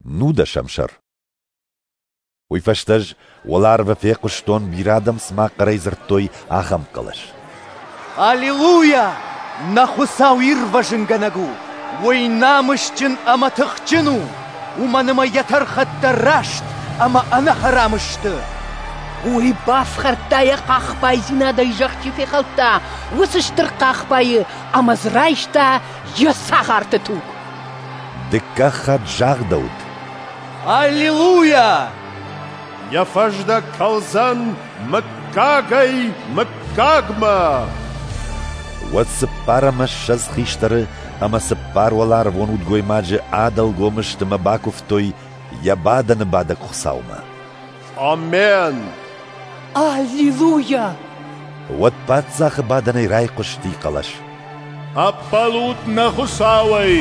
Нудӕсӕм сӕр. Уый фӕстӕ ӕз уӕларвы фехъуыстон, бирӕ адӕм цыма хъӕрӕй дзырдтой, ахӕм хъӕлӕс. Аллилуйа! Нӕ Хуыцау ирвӕзынгӕнӕг у! Уый намысджын ӕмӕ тыхджын у, уымӕн ӕмӕ йӕ тӕрхӕттӕ раст ӕмӕ ӕнӕхӕрам сты. Уый бафхӕрдта йӕ хъахбайдзинадӕй зӕхх чи фехӕлдта, уыцы стыр хъахбайы ӕмӕ дзы райста йӕ цагъарты туг. Дыккаг хатт загъдӕуыд: Аллилуйа! Йӕ фӕздӕг кӕлдзӕн мыггагӕй-мыггагмӕ. Уӕд 24 хистӕры ӕмӕ цыппар уӕларвон удгоймаджы адӕлгом сты мӕ бакуывтой йӕ бадӕны бадӕг Хуыцаумӕ. Амен! Аллилуйа! Уӕд паддзахы бадӕнӕй райхъуысти хъӕлӕс. Ӕппӕлут нӕ Хуыцауӕй,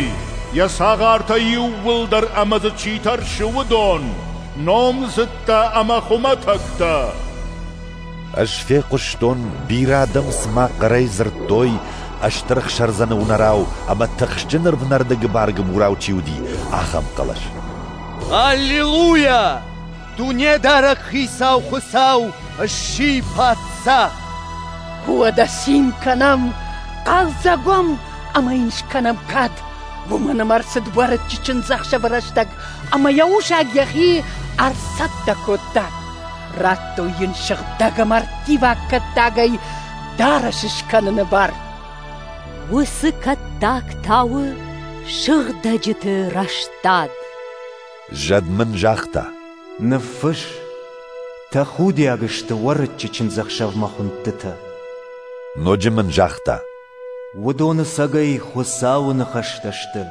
йӕ цагъартӕ иууылдӕр ӕмӕ дзы чи тӕрсы, уыдон, номдзыдтӕ ӕмӕ хуымӕтӕгтӕ. Ӕз фехъуыстон, бирӕ адӕм цыма хъӕрӕй дзырдтой, стыр ӕхсӕрдзӕны уынӕрау ӕмӕ тыхджын ӕрвнӕрды гыбар-гыбурау чи уыди, ахӕм хъӕлӕс. Аллилуйа! Дунедарӕг Хицау Хуыцау сси паддзах! Уӕдӕ цин кӕнӕм, хъӕлдзӕг уӕм ӕмӕ йын скӕнӕм кад, уымӕн ӕмӕ ӕрцыд уӕрыччы чындзӕхсӕвы рӕстӕг ӕмӕ йӕ усаг йӕхи ӕрцӕттӕ кодта. Радтой йын сыгъдӕг ӕмӕ ӕрттиваг кӕттагӕй дарӕс скӕныны бар. Уыцы кӕттаг та у сыгъдӕджыты рӕстад. Зӕд мын загъта: Ныффысс, тӕхудиаг сты уӕрыччы чындзӕхсӕвмӕ хуындтытӕ. Ноджы мын загъта: Уыдон ӕцӕгӕй Хуыцауы ныхӕстӕ сты.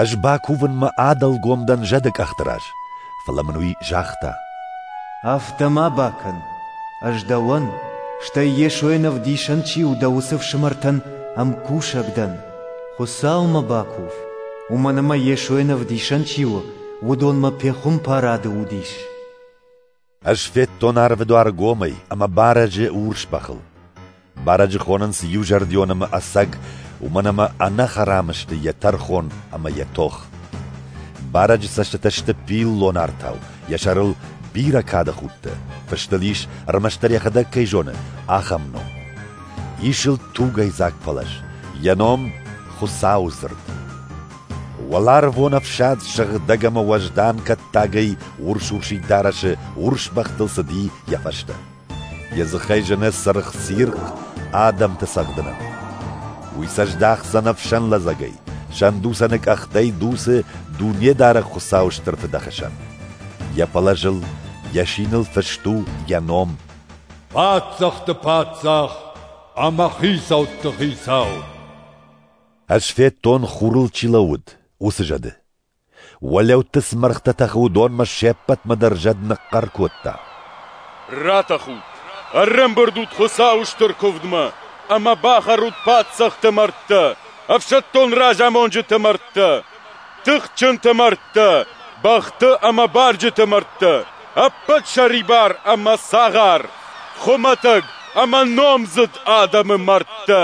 Ӕз бакувынмӕ адӕлгом дӕн зӕды къӕхты раз, фӕлӕ мын уый загъта: Афтӕ ма бакӕн, ӕз дӕуӕн, стӕй Йесойӕн ӕвдисӕн чи у, дӕ уыцы ӕфсымӕртӕн ӕмкусӕг дӕн. Хуыцаумӕ бакув, уымӕн ӕмӕ Йесойӕн ӕвдисӕн чи у, уыдонмӕ пехуымпарады уд ис. Ӕз федтон арвы дуар гомӕй ӕмӕ барӕджы урс бӕхыл. Барӕджы хонынц иузӕрдион ӕмӕ ӕцӕг, уымӕн ӕмӕ ӕнӕхӕрам сты йӕ тӕрхон ӕмӕ йӕ тох. Барӕджы цӕстытӕ сты пиллон артау, йӕ сӕрыл бирӕ кады худтӕ, фыст ыл ис, ӕрмӕстдӕр йӕхӕдӕг кӕй зоны, ахӕм ном. Ис ыл тугӕйдзаг пӕлӕз, йӕ ном Хуыцауы дзырд. Уӕларвон ӕфсад сыгъдӕг ӕмӕ уӕздан кӕттагӕй урс-урсид дарӕсы урс бӕхтыл цыди йӕ фӕстӕ. Йӕ дзыхӕй зыны цыргъ цирхъ адӕмты цӕгъдынӕн. Уый сӕ здахдзӕн ӕфсӕн лӕдзӕгӕй, сӕндуцӕны къӕхтӕй дуцы Дунедарӕг Хуыцауы стыр фыдӕхы сӕн. Йӕ пӕлӕзыл, йӕ синыл фыст у йӕ ном. Паддзӕхты паддзах ӕмӕ хицӕутты хицау. Ӕз федтон, хурыл чи лӕууыд, уыцы зӕды. Уӕлӕутты цы мӕргътӕ тӕхы, уыдонмӕ се ппӕтмӕ дӕр зӕд ныхъхъӕр кодта: Ратӕхут, ӕрӕмбырд ут Хуыцауы стыр куывдмӕ ӕмӕ бахӕрут паддзӕхты мӕрдтӕ, ӕфсӕддон разамонджыты мӕрдтӕ, тыхджынты мӕрдтӕ, бӕхты ӕмӕ барджыты мӕрдтӕ, ӕппӕт сӕрибар ӕмӕ цагъар, хуымӕтӕг ӕмӕ номдзыд адӕмы мӕрдтӕ.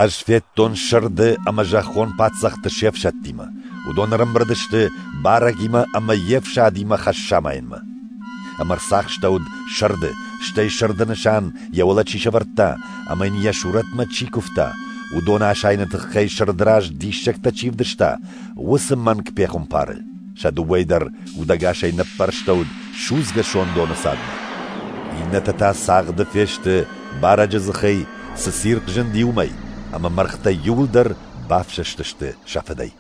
Ӕз федтон сырды ӕмӕ зӕххон паддзӕхты се фсӕдтимӕ. Уыдон ӕрӕмбырд сты барӕгимӕ ӕмӕ йе фсадимӕ хӕс самайынмӕ. Ӕмӕ ӕрцахстӕуыд сырды, стӕй сырды нысан йӕ уӕлӕ чи сӕвӕрдта ӕмӕ йын йӕ сурӕтмӕ чи куывта, уыдоны асайыны тыххӕй сырды раз диссӕгтӕ чи вдыста, уыцы мӕнг пехуымпары. Сӕ дыууӕйы дӕр удӕгасӕй ныппӕрстӕуыд судзгӕ сондоны цадмӕ. Иннӕтӕ та цагъды фесты барӕджы дзыхӕй, цы цирхъ зынди, уымӕй, ӕмӕ мӕргътӕ иууылдӕр бафсӕстысты сӕ фыдӕй.